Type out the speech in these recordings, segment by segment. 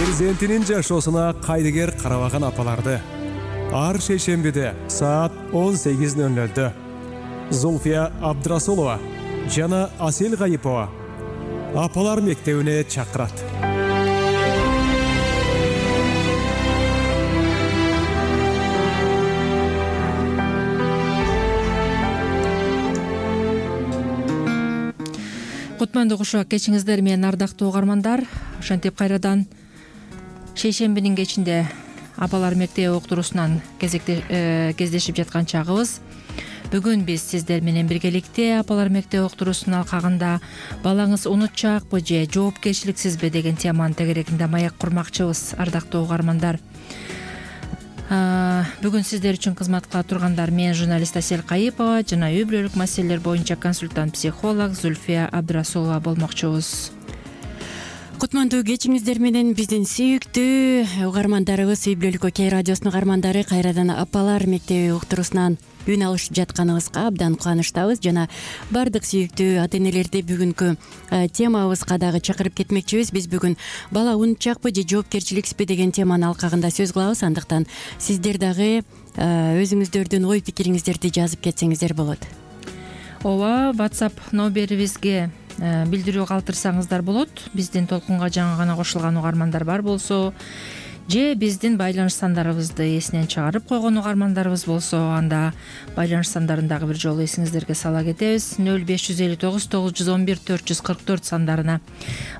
Перзентинин жашоосуна кайдыгер карабаган апаларды ар шейшембиде саат 18:00 Зульфия Абдрасулова жана Асел Гайипова апалар мектебине чакырат. Кутмандуу кушак кечиңиздер менен ардактуу угармандар. Ошентип кайрадан шейшембинин кечинде апалар мектеби уктуруусунан кездешип жаткан чагыбыз. Бүгүн биз сиздер менен биргеликте апалар мектеби уктуруусунун алкагында балаңыз унутчаакпы же жоопкерчиликсизби деген теманын тегерегинде маек курмакчыбыз, ардактуу угармандар. Бүгүн сиздер үчүн кызмат кыла тургандар мен журналист Асел Гайипова жана үй бүлөлүк маселелер боюнча консультант психолог Зульфия Абдрасулова болмокчубуз. Кутмандуу кечиңиздер менен биздин сүйүктүү угармандарыбыз, үй бүлөлүк кей радиосунун угармандары кайрадан апалар мектеби уктуруусунан үн алышып жатканыбызга абдан кубанычтабыз жана бардык сүйүктүү ата энелерди бүгүнкү темабызга дагы чакырып кетмекчибиз. Биз бүгүн бала унутчаакпы же жоопкерчиликсизби деген теманын алкагында сөз кылабыз. Андыктан сиздер дагы өзүңүздөрдүн ой пикириңиздерди жазып кетсеңиздер болот. Ооба, WhatsApp номерибизге билдирүү калтырсаңыздар болот. Биздин толкунга жаңы гана кошулган угармандар бар болсо же биздин байланыш сандарыбызды эсинен чыгарып койгон угармандарыбыз болсо, анда байланыш сандарын дагы бир жолу эсиңиздерге сала кетебиз. 0559 911 444 сандарына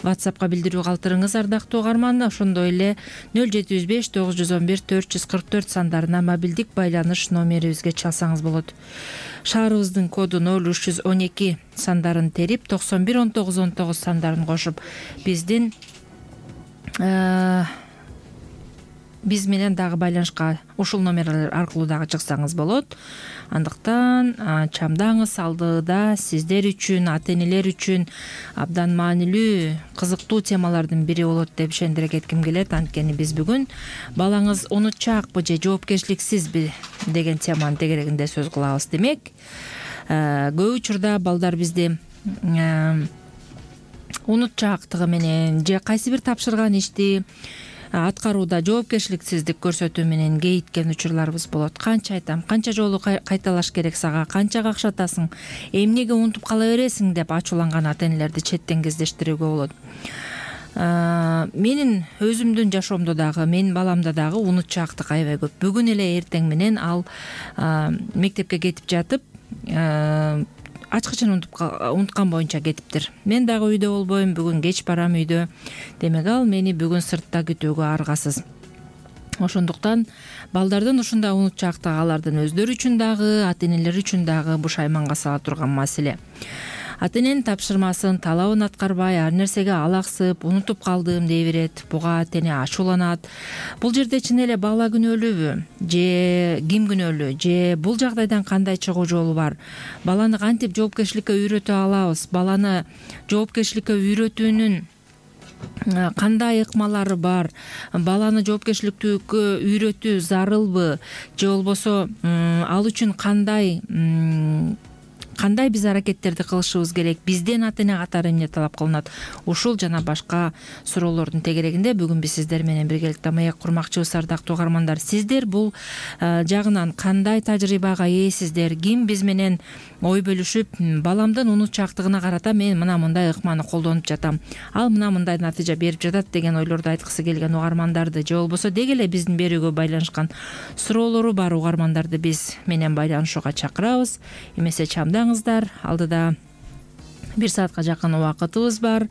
WhatsAppка билдирүү калтырыңыз, ардактуу угарман. Ошондой эле 0759 911 444 сандарына мобилдик байланыш номерибизге чалсаңыз болот. Шаарыбыздын коду 0312 сандарын терип 911919 сандарын кошуп биз менен дагы байланышка ушул номерлер аркылуу дагы чыксаңыз болот. Андыктан чамдаңыз алдыда сиздер үчүн, ата энелер үчүн абдан маанилүү, кызыктуу темалардын бири болот деп ишендире кетким келет. Анткени биз бүгүн балаңыз унутчаакпы же жоопкерчиликсизби деген теманын тегерегинде сөз кылабыз. Демек, көп учурда балдар бизди унутчаактыгы менен же кайсы бир тапшырган ишти аткарууда жоопкерчиликсиздик көрсөтүү менен кейиткен учурларыбыз болот. Канча айтам, канча жолу кайталаш керек сага, канча какшатасың, эмнеге унутуп кала бересиң деп ачууланган ата энелерди четтен кездештирүүгө болот. Менин өзүмдүн жашоомдо дагы, менин баламда дагы унутчаактык аябай көп. Бүгүн эле эртең менен ал мектепке кетип жатып ачкычын унуткан боюнча кетиптир. Мен дагы үйдө болбойм, бүгүн кеч барам үйдө. Демек ал мени бүгүн сыртта күтүүгө аргасыз. Ошондуктан балдардын ушундай унутчаактыгы алардын өздөрү үчүн дагы, ата энелери үчүн дагы бушайманга сала турган маселе. Ата эненин тапшырмасын, талабын аткарбай, ар нерсеге алаксып, унутуп калдым дей берет, буга ата эне ачууланат. Бул жерде чын эле бала күнөөлүүбү же ким күнөөлүү, же бул жагдайдан кандай чыгуу жолу бар? Баланы кантип жоопкерчиликке үйрөтө алабыз? Баланы жоопкерчиликке үйрөтүүнүн кандай ыкмалары бар? Баланы жоопкерчиликке үйрөтүү зарылбы же болбосо ал үчүн кандай биз аракеттерди кылышыбыз керек? Бизден ата эне катары эмне талап кылынат? Ушул жана башка суроолордун тегерегинде бүгүн биз сиздер менен биргеликте маек курмакчыбыз, ардактуу угармандар. Сиздер бул жагынан кандай тажрыйбага ээсиздер? Ким биз менен ой бөлүшүп, баламдын унутчаактыгына карата мен мына мындай ыкманы колдонуп жатам, ал мына мындай натыйжа берип жатат деген ойлорду айткысы келген угармандарды же болбосо деги эле биздин берүүгө байланышкан суроолору бар угармандарды биз менен байланышууга чакырабыз. Эмесе чамдаңыздар, алдыда 1 саатка жакын убакытыбыз бар.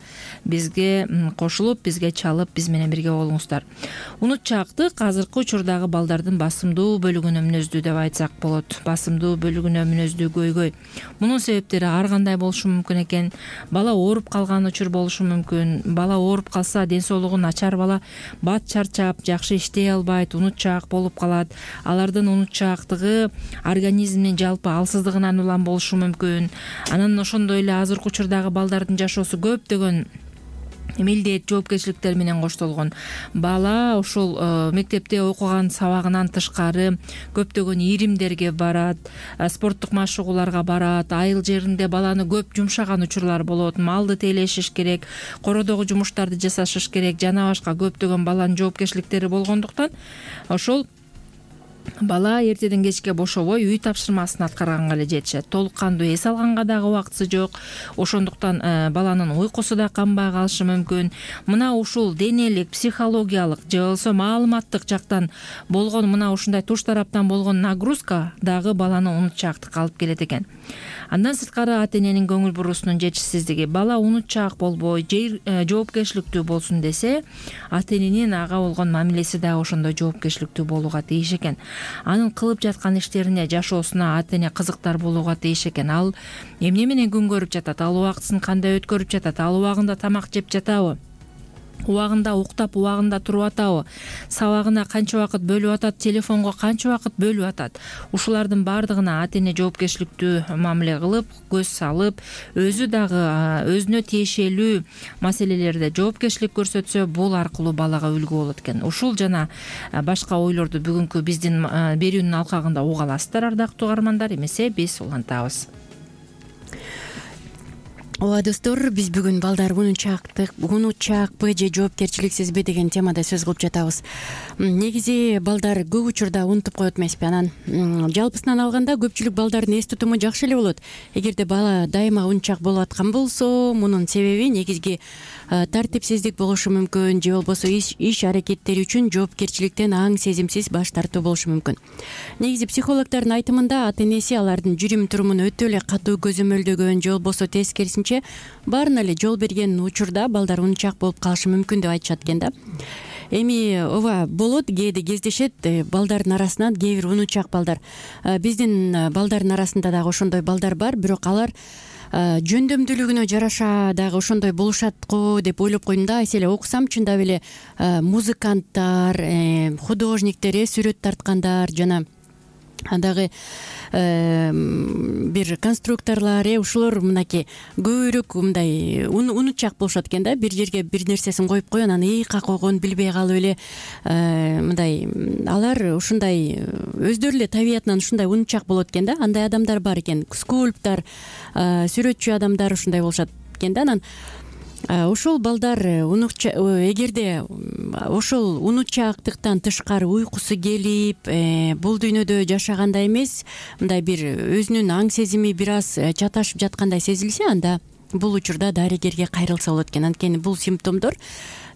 Бизге кошулуп, бизге чалып, биз менен бирге болуңуздар. Унутчаактык азыркы учурдагы балдардын басымдуу бөлүгүнө мүнөздүү деп айтсак болот. Басымдуу бөлүгүнө мүнөздүү көйгөй. Мунун себептери ар кандай болушу мүмкүн экен. Бала ооруп калган учур болушу мүмкүн. Бала ооруп калса, ден соолугу начар бала бат чарчап, жакшы иштей албайт, унутчаак болуп калат. Алардын унутчаактыгы организмдин жалпы алсыздыгынан улам болушу мүмкүн. Анан ошондой эле азыркы учурдагы балдардын жашоосу көптөгөн милдет, жоопкерчиликтер менен коштолгон. Бала ушул мектепте окуган сабагынан тышкары көптөгөн иримдерге барат, спорттук машыгууларга барат, айыл жеринде баланы көп жумшаган учурлар болот, малды тейлешиш керек, кородогу жумуштарды жасашыш керек, жана башка көптөгөн баланын жоопкерчиликтери болгондуктан ошол бала эртеден кечке бошобой үй тапшырмасын аткарганга эле жетишет. Толук кандуу эс алганга дагы убактысы жок. Ошондуктан баланын уйкусу да канбай калышы мүмкүн. Мына ушул денелик, психологиялык же болбосо маалыматтык жактан болгон мына ушундай туш тараптан болгон нагрузка дагы баланы унутчаактыкка алып келет экен. Андан сырткары ата-эненин көңүл буруусунун жетишсиздиги. Бала унутчаак болбой, жоопкерчиликтүү болсун десе, ата-эненин ага болгон мамилеси дагы ошондой жоопкерчиликтүү болууга тийиш экен. Анын кылып жаткан иштерине, жашоосуна ата-эне кызыктар болууга тийиш экен. Ал эмне менен күн көрүп жатат, ал убактысын кандай өткөрүп жатат, ал убагында тамак жеп жатабы, убагында уктап, убагында туруп атабы, сабагына канча убакыт бөлүп атат, телефонго канча убакыт бөлүп атат. Ушулардын баардыгына ата-эне жоопкерчиликтүү мамиле кылып, көз салып, өзү дагы өзүнө тиешелүү маселелерде жоопкерчилик көрсөтсө, бул аркылуу балага үлгү болот экен. Ушул жана башка ойлорду бүгүнкү биздин берүүнүн алкагында уга аласыздар, ардактуу угармандар. Эмесе биз улантабыз. Ооба достор, биз бүгүн балдар унутчаакпы же жоопкерчиликсизби деген темада сөз кылып жатабыз. Негизи балдар көп учурда унутуп коет эмеспи? Анан жалпысынан алганда көпчүлүк балдардын эс тутуму жакшы эле болот. Эгерде бала дайыма унутчаак болуп аткан болсо, мунун себеби негизги тартипсиздик болушу мүмкүн, же болбосо иш аракеттери үчүн жоопкерчиликтен аң сезимсиз баш тартуу болушу мүмкүн. Негизи психологдордун айтымында ата-энеси алардын жүрүм турумун өтө эле катуу көзөмөлдөгөн, же болбосо тескерисинче баарына эле жол берген учурда балдар унутчаак болуп калышы мүмкүн деп айтышат экен да. Эми ооба болот, кээде кездешет балдардын арасынан кээ бир унутчаак балдар. Биздин балдардын арасында дагы ошондой балдар бар, бирок алар жөндөмдүүлүгүнө жараша дагы ошондой болушат го деп ойлоп койдум да. Эселе окусам, чындап эле музыканттар, художниктер, сүрөт тарткандар, жана дагы бир конструкторлор, ушулар мынакей көбүрөөк мындай унутчаак болушат экен да. Бир жерге бир нерсесин коюп койгон, анан ыйыкка койгон билбей калып эле мындай алар ушундай өздөрү эле табиятынан ушундай унутчаак болот экен да. Андай адамдар бар экен, скульптор, сүрөтчү адамдар ушундай болушат экен да. Анан ошол балдар эгерде ошол унутчаактыктан тышкары уйкусу келип, бул дүйнөдө жашагандай эмес, мындай бир өзүнүн аң сезими бир аз чаташып жаткандай сезилсе, анда бул учурда дарыгерге кайрылса болот экен. Анткени бул симптомдор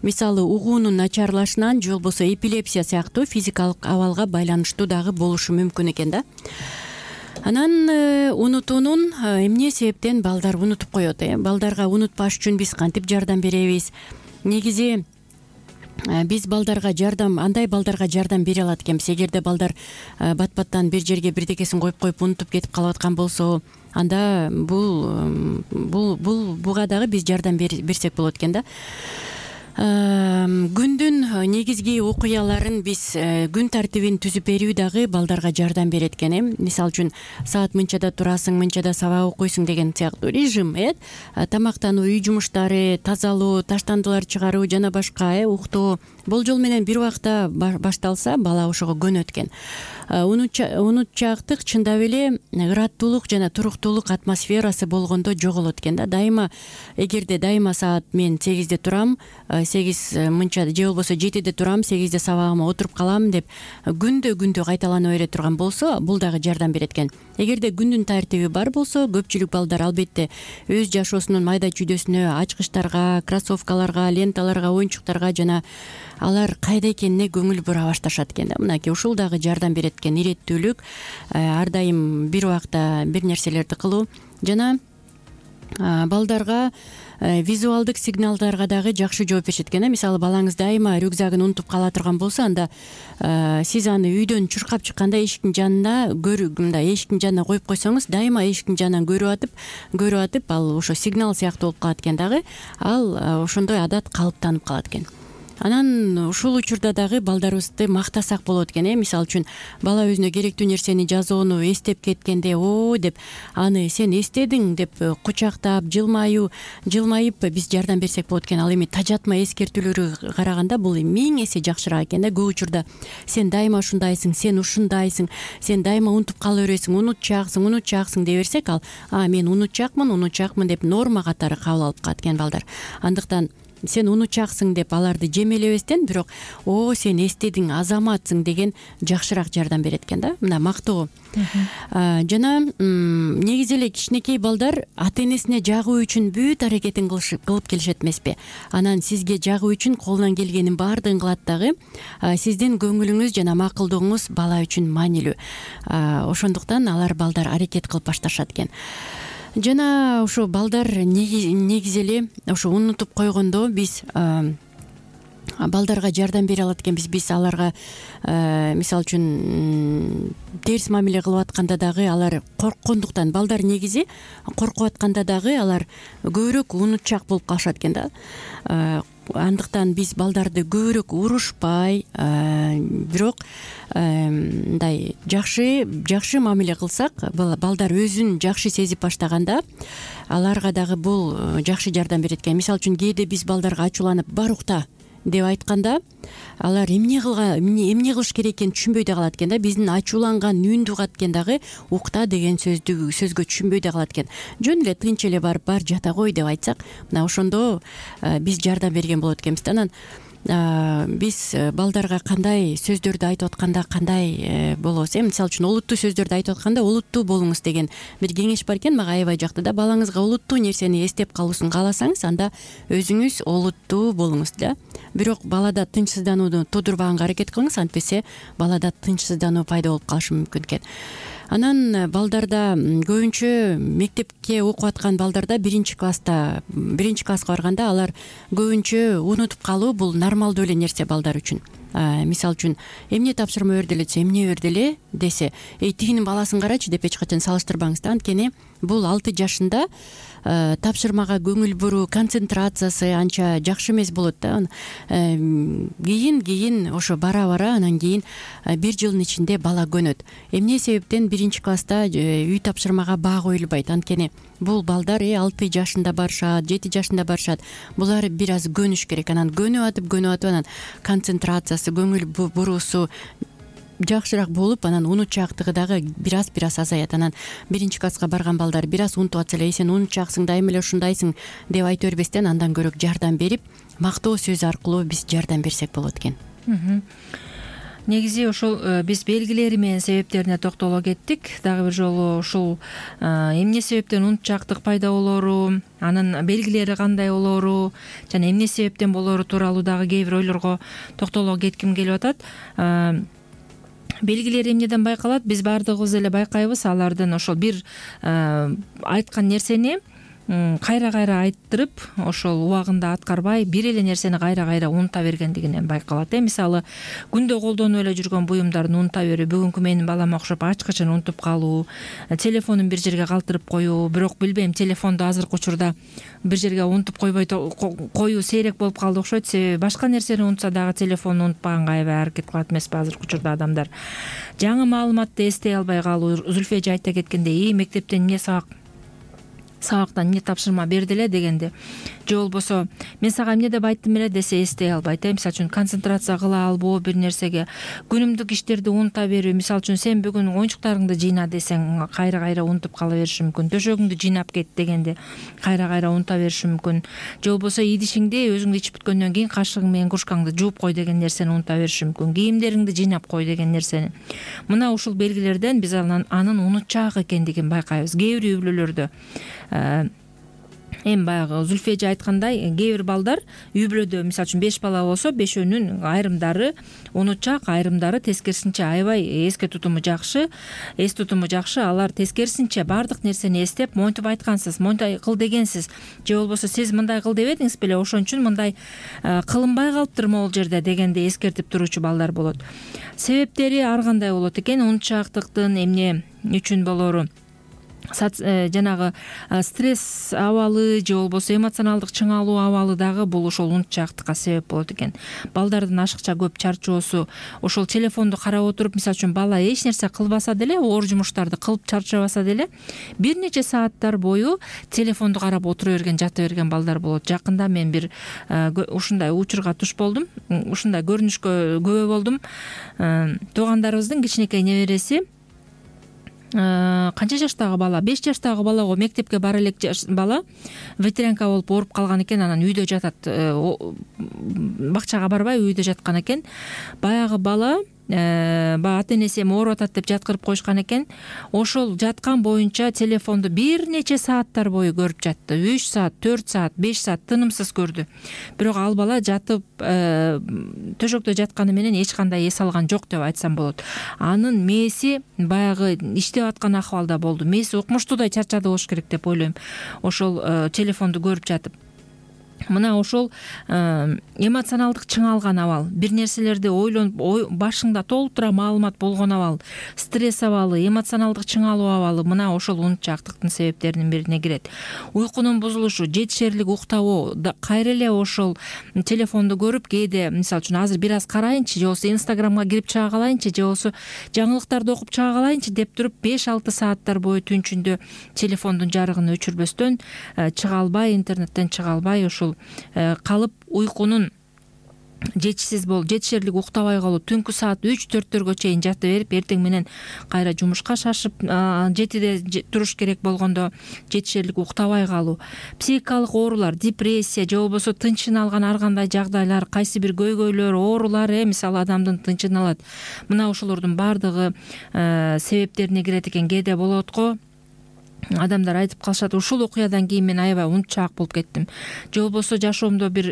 мисалы угуунун начарлашынан же болбосо эпилепсия сыяктуу физикалык абалга байланыштуу дагы болушу мүмкүн экен да. Анан унутуунун эмне себептен балдар унутуп коет? Балдарга унутпаш үчүн биз кантип жардам беребиз? Негизи биз андай балдарга жардам бере алат экенбиз. Эгерде балдар бат-баттан бир жерге бирдекесин коюп унутуп кетип калып аткан болсо, анда буга дагы биз жардам берсек болот экен да. Күндүн негизги окуяларын биз күн тартибин түзүп берүү дагы балдарга жардам берет экен. Мисалы үчүн саат мынчада турасың, мынчада сабак окуйсуң деген сыяктуу режим, тамактануу, үй жумуштары, тазалоо, таштандылар чыгаруу жана башка уктоо болжол менен бир убакта башталса, бала ошого көнөт экен. Унутчаактык чындап эле ыраттуулук жана туруктуулук атмосферасы болгондо жоголот экен да. Дайыма эгерде саат мен 8де турам, 8 мынча же болбосо 7де турам, 8де сабагыма отуруп калам деп күндө кайталана бере турган болсо, бул дагы жардам берет экен. Эгерде күндүн тартиби бар болсо, көпчүлүк балдар албетте өз жашоосунун майда чүйдөсүнө, ачкычтарга, кроссовкаларга, ленталарга, оюнчуктарга жана алар кайда экенине көңүл бура башташат экен да. Мынакей ушул дагы жардам берет экен. Иреттүүлүк, ар дайым бир убакта бир нерселерди кылуу жана балдарга визуалдык сигналдарга дагы жакшы жооп беришет экен. Мисалы балаңыз дайыма рюкзагын унутуп кала турган болсо, анда сиз аны үйдөн чуркап чыкканда эшиктин жанына мындай эшиктин жанына коюп койсоңуз, дайыма эшиктин жанынан көрүп атып ал ошо сигнал сыяктуу болуп калат экен дагы. Ал ошондой адат калыптанып калат экен. Анан ушул учурда дагы балдарыбызды мактасак болот экен. Мисалы үчүн бала өзүнө керектүү нерсени жазууну эстеп кеткенде деп аны сен эстедиң деп кучактап жылмайып биз жардам берсек болот экен. Ал эми тажатма эскертүүлөргө караганда бул 1000 эсе жакшыраак экен да. Көп учурда сен дайыма ушундайсың, сен ушундайсың, сен дайыма унутуп кала бересиң, унутчааксың деп берсек, ал мен унутчаакмын деп норма катары кабыл алып калат экен балдар. Андыктан сен унутчааксың деп аларды жемелебестен, бирок сен эстедиң, азаматсың деген жакшыраак жардам берет экен да. Мына мактоо. Жана негизи эле кичинекей балдар ата энесине жагуу үчүн бүт аракетин кылып келишет эмеспи? Анан сизге жагуу үчүн колунан келгенин баардыгын кылат дагы. Сиздин көңүлүңүз жана макулдугуңуз бала үчүн маанилүү. Ошондуктан алар балдар аракет кылып башташат экен. Жана ошо балдар негизи эле ошо унутуп койгондо биз балдарга жардам бере алат экенбиз. Биз аларга мисалы үчүн терс мамиле кылып атканда дагы алар корккондуктан, балдар негизи коркуп атканда дагы алар көбүрөөк унутчаак болуп калышат экен да. Андыктан биз балдарды көбүрөөк урушпай, бирок мындай жакшы мамиле кылсак, балдар өзүн жакшы сезип баштаганда аларга дагы бул жакшы жардам берет экен. Мисалы үчүн кээде биз балдарга ачууланып бар укта деп айтканда алар эмне кылыш керек экенин түшүнбөй да калат экен да. Биздин ачууланган үндү угат экен дагы укта деген сөзгө түшүнбөй да калат экен. Жөн эле тынч эле бар жата кой деп айтсак, мына ошондо биз жардам берген болот экенбиз да. Анан биз балдарга кандай сөздөрдү айтып атканда кандай болобуз? Мисалы үчүн олуттуу сөздөрдү айтып атканда олуттуу болуңуз деген бир кеңеш бар экен. Мага аябай жакты да. Балаңызга олуттуу нерсени эстеп калуусун кааласаңыз, анда өзүңүз олуттуу болуңуз да. Бирок балада тынчсызданууну туудурбаганга аракет кылыңыз, антпесе балада тынчсыздануу пайда болуп калышы мүмкүн экен. Анан балдарда көбүнчө мектепке окуп аткан балдарда биринчи класска барганда алар көбүнчө унутуп калуу бул нормалдуу эле нерсе балдар үчүн. Мисалы үчүн эмне тапшырма берди эле десе, эмне берди эле десе, тигинин баласын карачы деп эч качан салыштырбаңыз да. Анткени бул 6 жашында тапшырмага көңүл буруу, концентрациясы анча жакшы эмес болот да. Кийин ошо бара анан кийин 1 жылдын ичинде бала көнөт. Эмне себептен биринчи класста үй тапшырмага баа коюлбайт? Анткени бул балдар 6 жашында барышат, 7 жашында барышат. Булар бир аз көнүш керек. Анан көнүп атып анан концентрациясы, көңүл буруусу жакшыраак болуп, анан унутчаактыгы дагы бир аз азаят. Анан биринчи класска барган балдар бир аз унутуп атса эле, сен унутчааксың, дайыма эле ушундайсың деп айта бербестен, андан көрөк жардам берип, мактоо сөз аркылуу биз жардам берсек болот экен. Негизи ошол биз белгилери менен себептерине токтоло кеттик. Дагы бир жолу ушул эмне себептен унутчаактык пайда болоору, анын белгилери кандай болоору жана эмне себептен болоору тууралуу дагы кээ бир ойлорго токтоло кетким келип атат. Белгилери эмнеден байкалат? Биз баардыгыбыз эле байкайбыз. Алардын ошол бир айткан нерсени кайра айттырып, ошол убагында аткарбай, бир эле нерсени кайра унута бергендигинен байкалат. Мисалы, күндө колдонуп эле жүргөн буюмдарын унута берүү, бүгүнкү менин балама окшоп ачкычын унутуп калуу, телефонун бир жерге калтырып коюу, бирок билбейм, телефонду азыркы учурда бир жерге унутуп койбой коюу сейрек болуп калды окшойт. Себеби башка нерсени унутса дагы телефонду унутпаганга аябай аракет кылат эмеспи азыркы учурда адамдар. Жаңы маалыматты эстей албай калуу. Зүлфия эже айта кеткендей, мектептен эмне сабактан эмне тапшырма берди эле дегенде, же болбосо мен сага эмне деп айттым эле десе эстей албайт. Мисалы үчүн концентрация кыла албоо бир нерсеге, күнүмдүк иштерди унута берүү. Мисалы үчүн сен бүгүн оюнчуктарыңды жыйна десең кайра унутуп кала бериши мүмкүн. Төшөгүңдү жыйнап кет дегенде кайра унута бериши мүмкүн. Же болбосо идишиңди өзүңдү ичип бүткөндөн кийин кашыгың менен кружкаңды жууп кой деген нерсени унута бериши мүмкүн. Кийимдериңди жыйнап кой деген нерсени. Мына ушул белгилерден биз анын унутчаак экендигин байкайбыз. Кээ бир үй бүлөлөрдө эми баягы Зүлфия эже айткандай, кээ бир балдар үй бүлөдө мисалы үчүн 5 бала болсо, 5өөнүн айрымдары унутчаак, айрымдары тескерисинче аябай эс тутуму жакшы. Алар тескерисинче баардык нерсени эстеп, монтип айткансыз, мондай кыл дегенсиз, же болбосо сиз мындай кыл дебедиңиз беле, ошон үчүн мындай кылынбай калыптыр могул жерде дегенде эскертип туруучу балдар болот. Себептери ар кандай болот экен, унутчаактыктын эмне үчүн болоору. жанагы стресс абалы же болбосо эмоционалдык чыңалуу абалы дагы бул ошол унутчаактыкка себеп болот экен. Балдардын ашыкча көп чарчоосу, ошол телефонду карап отуруп, мисалы үчүн бала эч нерсе кылбаса деле, оор жумуштарды кылып чарчабаса деле, бир нече сааттар бою телефонду карап отура берген, жата берген балдар болот. Жакында мен бир ушундай учурга туш болдум, ушундай көрүнүшкө күбө болдум. Туугандарыбыздын кичинекей небереси, канча жаштагы бала, 5 жаштагы балага мектепке бара элек бала ветрянка болуп ооруп калган экен, анан үйдө жатат, бакчага барбай үйдө жаткан экен. Баягы бала баягы ата-энеси эми ооруп атат деп жаткырып коюшкан экен. Ошол жаткан боюнча телефонду бир нече сааттар бою көрүп жатты. 3 саат, 4 саат, 5 саат тынымсыз көрдү. Бирок ал бала жатып төшөктө жатканы менен эч кандай эс алган жок деп айтсам болот. Анын мээси баягы иштеп аткан акыбалда болду. Мээси укмуштуудай чарчады болуш керек деп ойлойм. Ошол телефонду көрүп жатып. Мына ошол эмоционалдык чыңалган абал, бир нерселерди ойлонуп, башыңда толтура маалымат болгон абал, стресс абалы, эмоционалдык чыңалуу абалы мына ошол унутчаактыктын себептеринин бирине кирет. Уйкунун бузулушу, жетишерлик уктабоо, кайра эле ошол телефонду көрүп, кээде мисалы үчүн азыр бир аз карайынчы, же болбосо Инстаграмга кирип чыга калайынчы, же болбосо жаңылыктарды окуп чыга калайынчы деп туруп 5-6 сааттар бою түн ичинде телефондун жарыгын өчүрбөстөн чыга албай, интернеттен чыга албай ошол калып, уйкунун жетишерлик уктабай калып, түнкү саат 3-4-төргө чейин жата берип, эртең менен кайра жумушка шашып, 7-де туруш керек болгондо жетишерлик уктабай калуу, психикалык оорулар, депрессия же болбосо тынчын алган ар кандай жагдайлар, кайсы бир көйгөйлөр, оорулар, мисалы адамдын тынчын алат. Мына ошолордун баардыгы себептерине кирет экен. Кээде болот го, адамдар айтып калышат, ушул окуядан кийин мен аябай унутчаак болуп кеттим, же болбосо жашоомдо бир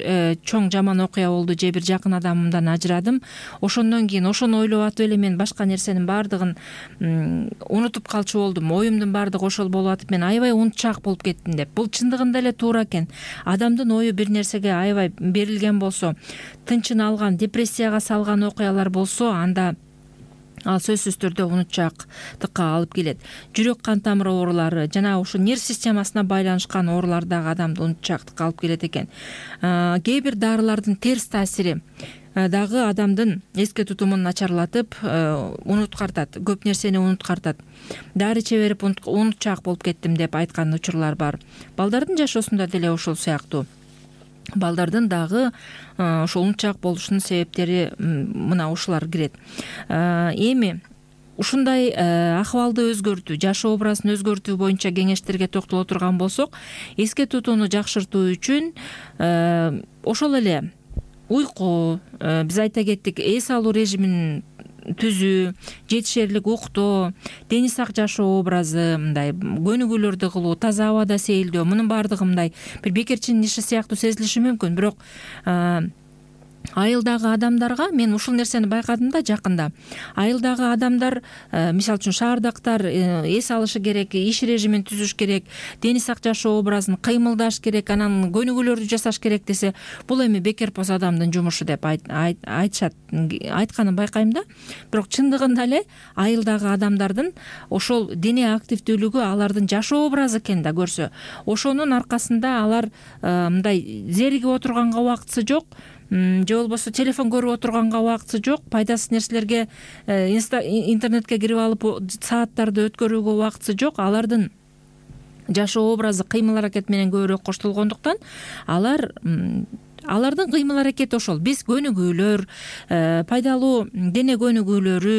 чоң жаман окуя болду, же бир жакын адамымдан ажырадым, ошондон кийин ошону ойлоп атып эле мен башка нерсенин баардыгын унутуп калчу болдум, оюмдун баардыгы ошол болуп атып мен аябай унутчаак болуп кеттим деп. Бул чындыгында эле туура экен. Адамдын ою бир нерсеге аябай берилген болсо, тынчын алган, депрессияга салган окуялар болсо, анда ал сөзсүз түрдө унутчаактыкка алып келет. Жүрөк кан тамыр оорулары жана ушул нерв системасына байланышкан оорулар дагы адамды унутчаактыкка алып келет экен. Кээ бир дарылардын терс таасири дагы адамдын эске тутумун начарлатып, унуткартат, көп нерсени унуткартат. Дары иче берип унутчаак болуп кеттим деп айткан учурлар бар. Балдардын жашоосунда деле ошол сыяктуу. Балдардын дагы ошол унутчаак болушунун себептери мына ушулар кирет. Эми ушундай акыбалды өзгөртүү, жашоо образын өзгөртүү боюнча кеңештерге токтоло турган болсок, эске тутууну жакшыртуу үчүн ошол эле уйку, биз айта кеттик, эс алуу режимин түзүү, жетишерлик уктоо, дени сак жашоо образы, мындай көнүгүүлөрдү кылуу, таза абада сейилдөө, мунун баардыгы мындай бир бекерчинин иши сыяктуу сезилиши мүмкүн, бирок айылдагы адамдарга мен ушул нерсени байкадым да жакында. Айылдагы адамдар, мисалы үчүн шаардактар эс алышы керек, иш режимин түзүш керек, дени сак жашоо образын кыймылдаш керек, анан көнүгүүлөрдү жасаш керек десе, бул эми бекер поз адамдын жумушу деп айтышат. Айтканын байкайм да. Бирок чындыгында эле айылдагы адамдардын ошол дене активдүүлүгү алардын жашоо образы экен да көрсө, ошонун аркасында алар мындай зеригип отурганга убактысы жок, же болбосо телефон көрүп отурганга убактысы жок, пайдасыз нерселерге интернетке кирип алып сааттарды өткөрүүгө убактысы жок. Алардын жашоо образы кыймыл аракет менен көбүрөөк коштолгондуктан алардын кыймыл аракети ошол. Биз көнүгүүлөр, пайдалуу дене көнүгүүлөрү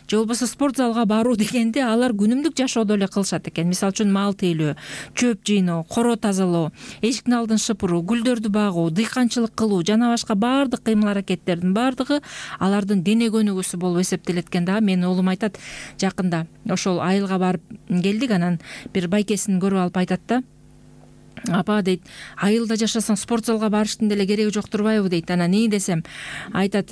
же болбосо спорт залга баруу дегенди алар күнүмдүк жашоодо эле кылышат экен. Мисалы үчүн мал тейлөө, чөп жыйноо, коро тазалоо, эшиктин алдын шыпыруу, гүлдөрдү багуу, дыйканчылык кылуу жана башка баардык кыймыл аракеттердин баардыгы алардын дене көнүгүүсү болуп эсептелет экен да. Менин уулум айтат, жакында ошол айылга барып келдик, анан бир байкесин көрүп алып айтат да, апа дейт, айылда жашасаң спорт залга барыштын деле кереги жок турбайбы дейт. Анан эмне десем, айтат,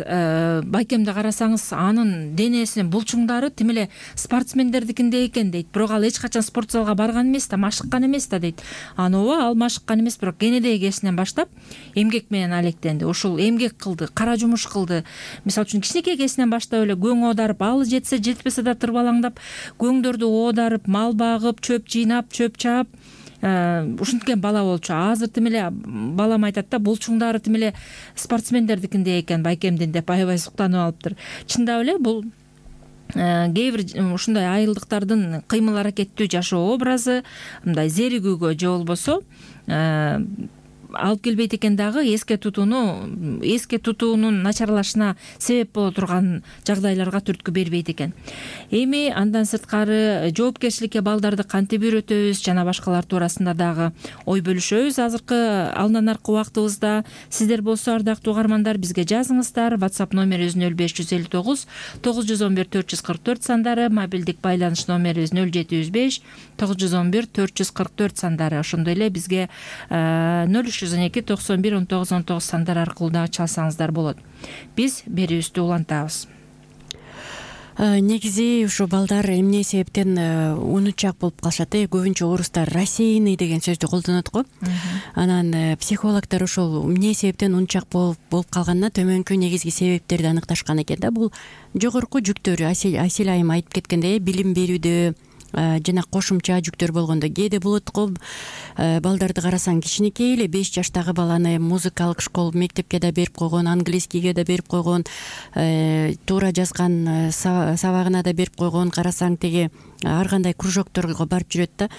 байкемди карасаңыз анын денесинин булчуңдары тим эле спортсмендердикиндей экен дейт, бирок ал эч качан спорт залга барган эмес да, машыккан эмес да дейт. Ооба, ал машыккан эмес, бирок кенедеги кезинен баштап эмгек менен алектенди. Ушул эмгек кылды, кара жумуш кылды. Мисалы үчүн кичинекей кезинен баштап эле көң оодарып, алы жетсе жетпесе да тырбалаңдап көңдөрдү оодарып, мал багып, чөп жыйнап, чөп чаап ушинткен бала болчу. Азыр тим эле балам айтат да, булчуңдары тим эле спортсмендердикиндей экен байкемдин деп аябай суктанып алыптыр. Чындап эле бул кээ бир ушундай айылдыктардын кыймыл аракеттүү жашоо образы мындай зеригүүгө же болбосо алып келбейт экен дагы, эске тутуунун начарлашына себеп боло турган жагдайларга түрткү бербейт экен. Эми андан сырткары жоопкерчиликке балдарды кантип үйрөтөбүз жана башкалар туурасында дагы ой бөлүшөбүз. Азыркы алдан аркы убактыбызда сиздер болсо, ардактуу угармандар, бизге жазыңыздар. WhatsApp номерибиз 0559 911 444 сандары, мобилдик байланыш номерибиз 0705 911 444 сандары. Ошондой эле бизге 0312 91 19 19 сандар аркылуу дагы чалсаңыздар болот. Биз берүүбүздү улантабыз. Негизи ушу балдар эмне себептен унутчак болуп калышат? Көбүнчө орустар рассеянный деген сөздү колдонот го. Анан психологдор ошол эмне себептен унутчак болуп калганына төмөнкү негизги себептерди аныкташкан экен да. Бул жогорку жүктөр, Асель айым айтып кеткендей, билим берүүдө жана кошумча жүктөр болгондо кээде болот го. Балдарды карасаң, кичинекей эле 5 жаштагы баланы музыкалык школа, мектепке да берип койгон, английскийге да берип койгон, туура жазган сабагына да берип койгон. Карасаң, теге ар кандай кружокторго барып жүрөт да.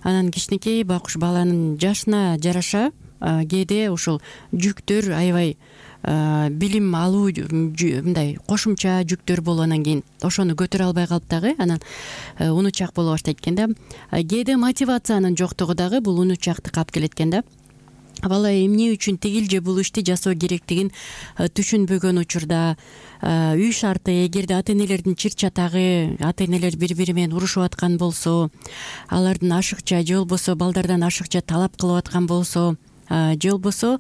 Анан кичинекей байкуш баланын жашына жараша кээде ушул жүктөр аябай билим алуу мындай кошумча жүктөр болгондон кийин ошону көтөрө албай калып дагы анан унутчак боло баштайт экен да. Кээде мотивациянын жоктугу дагы бул унутчактыкка алып келет экен да. Бала эмне үчүн тигил же бул ишти жасоо керектигин түшүнбөгөн учурда үй шарты, эгерде ата-энелердин чыр чатагы, ата-энелер бири-бири менен урушуп аткан болсо, алардын ашыкча же болбосо балдардан ашыкча талап кылып аткан болсо, же болбосо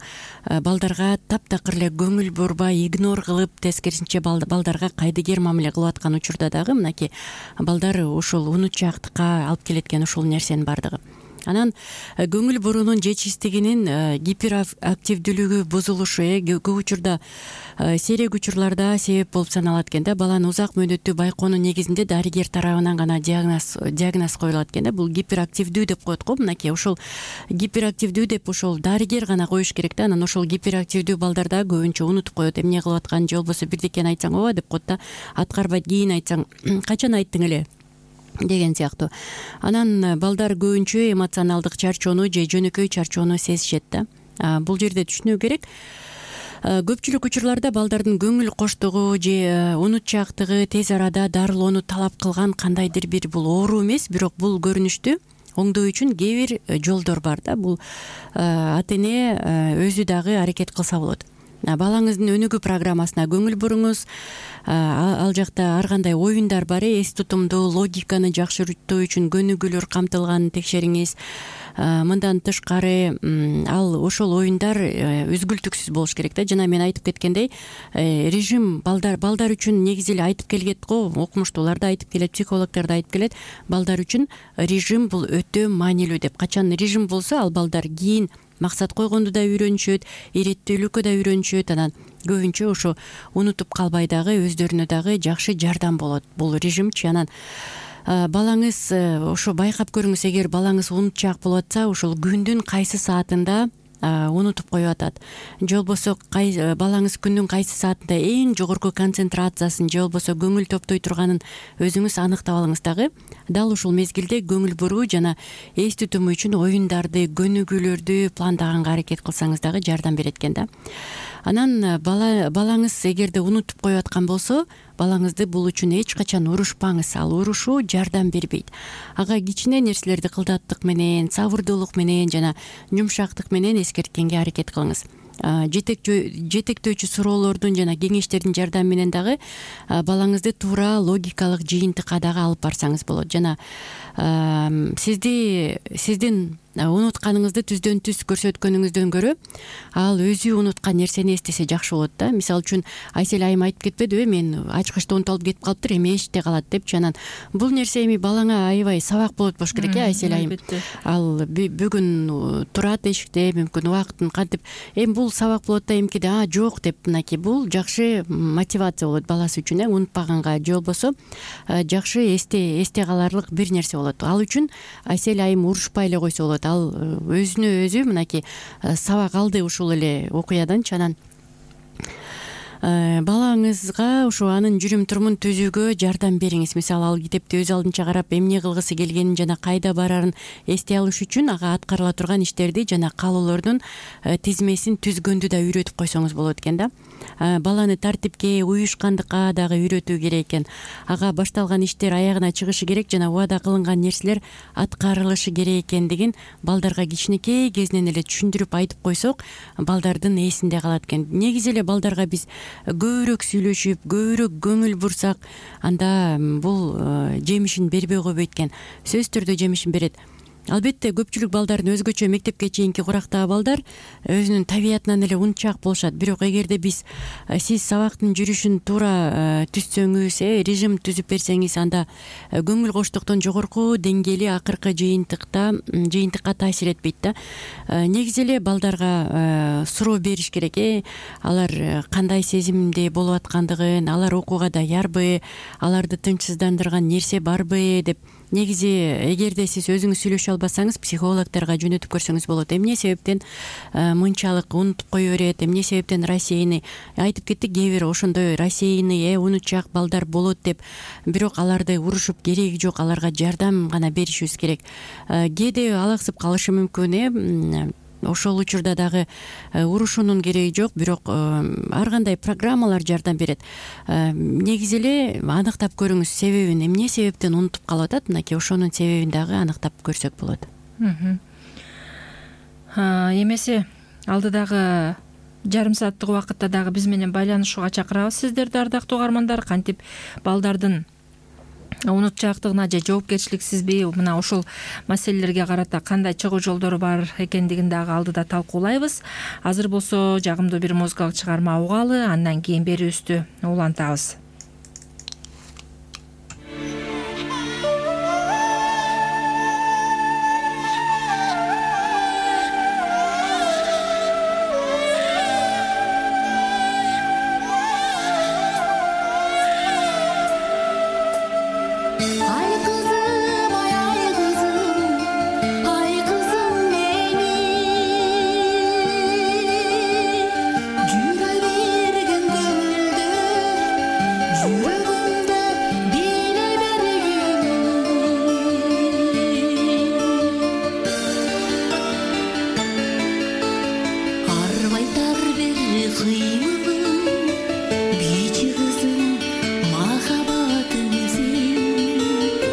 балдарга таптакыр эле көңүл бурбай, игнор кылып, тескерисинче балдарга кайдыгер мамиле кылып аткан учурда дагы мынакей балдар ушул унутчактыкка алып келет экен ушул нерсенин бардыгы. Анан көңүл буруунун жетишсиздигинин гиперактивдүүлүгү бузулушу көп учурда сейрек учурларда себеп болуп саналат экен да. Баланы узак мөөнөттүү байкоонун негизинде дарыгер тарабынан гана диагноз коюлат экен да. Бул гиперактивдүү деп коет го. Мынакей ошол гиперактивдүү деп ошол дарыгер гана коюш керек да. Анан ошол гиперактивдүү балдарда көбүнчө унутуп коет, эмне кылып атканын, же болбосо бирдекени айтсаң ооба деп коет да. Аткарбайт, кийин айтсаң качан айттың эле деген сыяктуу. Анан балдар көбүнчө эмоционалдык чарчоону же жөнөкөй чарчоону сезишет да. Бул жерде түшүнүү керек. Көпчүлүк учурларда балдардын көңүл коштугу же унутчактыгы тез арада дарылоону талап кылган кандайдыр бир бул оору эмес, бирок бул көрүнүштү оңдоо үчүн кээ бир жолдор бар да. Бул ата-эне өзү дагы аракет кылса болот. Балаңыздын өнүгүү программасына көңүл буруңуз. Ал жакта ар кандай оюндар бар, эс тутумду, логиканы жакшыртуу үчүн көнүгүүлөр камтылганын текшериңиз. Мындан тышкары ал ошол оюндар үзгүлтүксүз болуш керек да. Жана мен айтып кеткендей, режим балдар үчүн негизи эле айтып келет го, окумуштуулар да айтып келет, психологдор да айтып келет. Балдар үчүн режим бул өтө маанилүү деп. Качан режим болсо, ал балдар кийин максат койгонду да үйрөнүшөт, иреттүүлүккө да үйрөнүшөт. Анан көбүнчө ошо унутуп калбай дагы өздөрүнө дагы жакшы жардам болот бул режимчи. Анан балаңыз ошо байкап көрүңүз, эгер балаңыз унутчак болуп атса, ошол күндүн кайсы саатында унутуп коюп атат, же болбосо балаңыз күндүн кайсы саатында эң жогорку концентрациясын же болбосо көңүл топтой турганын өзүңүз аныктап алыңыз дагы. Дал ушул мезгилде көңүл буруу жана эс тутуму үчүн оюндарды, көнүгүүлөрдү пландаганга аракет кылсаңыз дагы жардам берет экен да. Анан балаңыз эгерде унутуп коюп аткан болсо, балаңызды бул үчүн эч качан урушпаңыз. Ал урушуу жардам бербейт. Ага кичине нерселерди кылдаттык менен, сабырдуулук менен жана жумшактык менен эскерткенге аракет кылыңыз. Жетектөөчү суроолордун жана кеңештердин жардамы менен дагы балаңызды туура логикалык жыйынтыкка дагы алып барсаңыз болот. Жана сиздин унутканыңызды түздөн түз көрсөткөнүңүздөн көрө ал өзү унуткан нерсени эстесе жакшы болот да. Мисалы үчүн Айсель айым айтып кетпедиби, мен ачкычта унутуп кетип калыптыр, эми эшикте калат депчи. Анан бул нерсе эми балаңа аябай сабак болот болуш керек Айсель айым. Ал бүгүн турат эшикте, мүмкүн убактын кантип, эми бул сабак болот да, эмкиде жок деп, мынакей бул жакшы мотивация болот баласы үчүн, унутпаганга же болбосо жакшы эсте каларлык бир нерсе болот. Ал үчүн Айсель айым урушпай эле койсо болот. Ал өзүнө өзү мынакей сабак алды ушул эле окуяданчы. Анан балаңызга ушу анын жүрүм турумун түзүүгө жардам бериңиз. Мисалы ал китепти өз алдынча карап эмне кылгысы келгенин жана кайда барарын эстей алыш үчүн ага аткарыла турган иштерди жана каалоолордун тизмесин түзгөндү да үйрөтүп койсоңуз болот экен да. Баланы тартипке, уюшкандыкка дагы үйрөтүү керек экен. Ага башталган иштер аягына чыгышы керек жана убада кылынган нерселер аткарылышы керек экендигин балдарга кичинекей кезинен эле түшүндүрүп айтып койсок, балдардын эсинде калат экен. Негизи эле балдарга биз көбүрөөк сүйлөшүп, көбүрөөк көңүл бурсак, анда бул жемишин бербей койбойт экен. Сөзсүз түрдө жемишин берет. Албетте көпчүлүк балдардын өзгөчө мектепке чейинки курактагы балдар өзүнүн табиятынан эле унчак болушат. Бирок эгерде сиз сабактын жүрүшүн туура түзсөңүз, режим түзүп берсеңиз, анда көңүл коштуктун жогорку деңгээли акыркы жыйынтыкка таасир этпейт да. Негизи эле балдарга суроо бериш керек. Алар кандай сезимде болуп аткандыгын, алар окууга даярбы, аларды тынчсыздандырган нерсе барбы деп. Негизи эгерде сиз өзүңүз сүйлөшө албасаңыз, психологторго жөнөтүп көрсөңүз болот. Эмне себептен мынчалык унутуп кое берет, эмне себептен рассеянный. Айтып кеттик, кээ бир ошондой рассеянный, унутчак балдар болот деп. Бирок аларды урушуп кереги жок, аларга жардам гана беришибиз керек. Кээде алаксып калышы мүмкүн. Ошол учурда дагы урушуунун кереги жок, бирок ар кандай программалар жардам берет. Негизи эле аныктап көрүңүз себебин, эмне себептен унутуп калып атат, мынакей ошонун себебин дагы аныктап көрсөк болот. Эмесе алдыдагы жарым сааттык убакытта дагы биз менен байланышууга чакырабыз сиздерди, ардактуу угармандар. Кантип балдардын унутчаактыгына же жоопкерчиликсизби, мына ушул маселелерге карата кандай чыгуу жолдору бар экендигин дагы алдыда талкуулайбыз. Азыр болсо жагымдуу бир музыкалык чыгарма угалы, андан кийин берүүбүздү улантабыз. Кичи кызым махабатым сен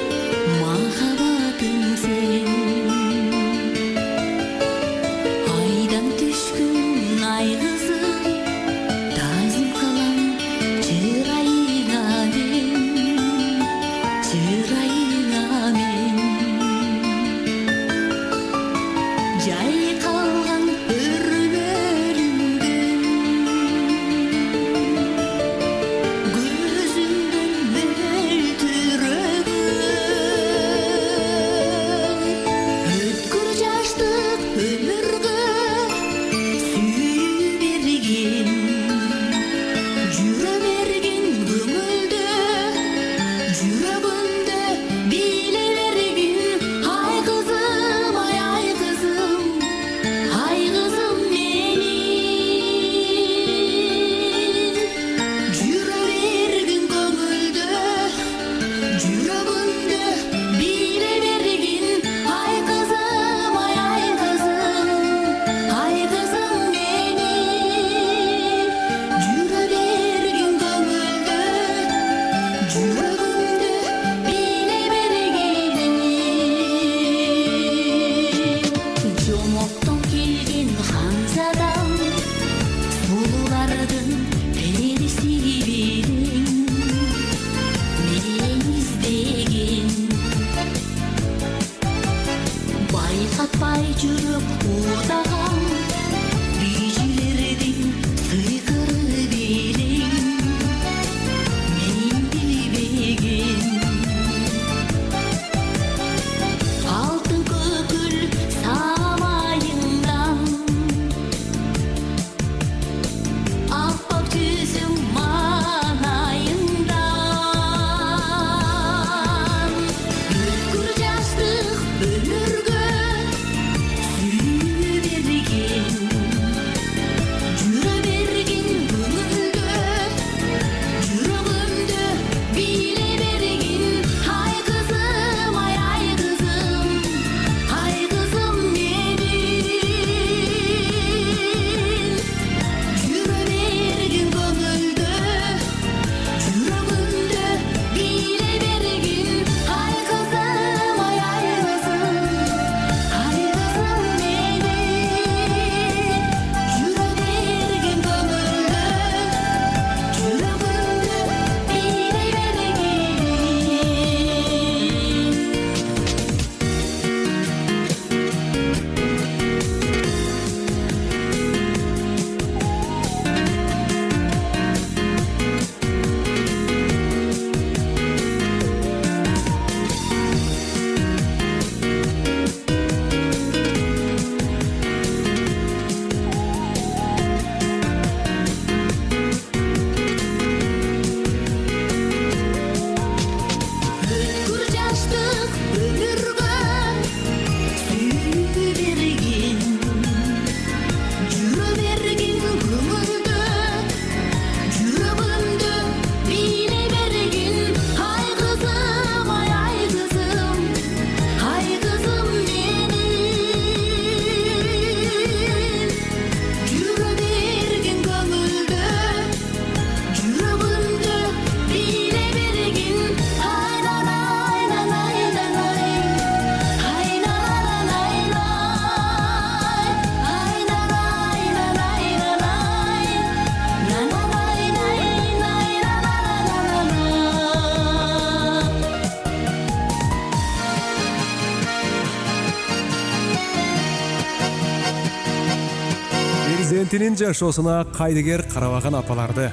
Этинин жашоосуна кайдыгер карабаган апаларды